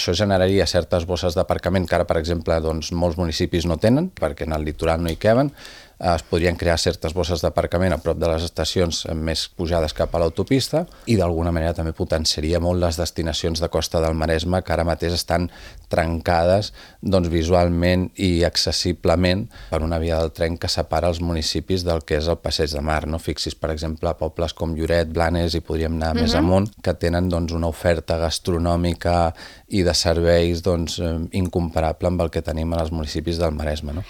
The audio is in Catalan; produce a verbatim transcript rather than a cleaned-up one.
Això generaria certes bosses d'aparcament que ara, per exemple, doncs, molts municipis no tenen, perquè en el litoral no hi caben. Es podrien crear certes bosses d'aparcament a prop de les estacions més pujades cap a l'autopista i d'alguna manera també potenciaria molt les destinacions de Costa del Maresme que ara mateix estan trencades doncs, visualment i accessiblement per una via del tren que separa els municipis del que és el Passeig de Mar. No? Fixis, per exemple, pobles com Lloret, Blanes, i podríem anar uh-huh. més amunt, que tenen doncs, una oferta gastronòmica i de serveis doncs, incomparable amb el que tenim als municipis del Maresme. No?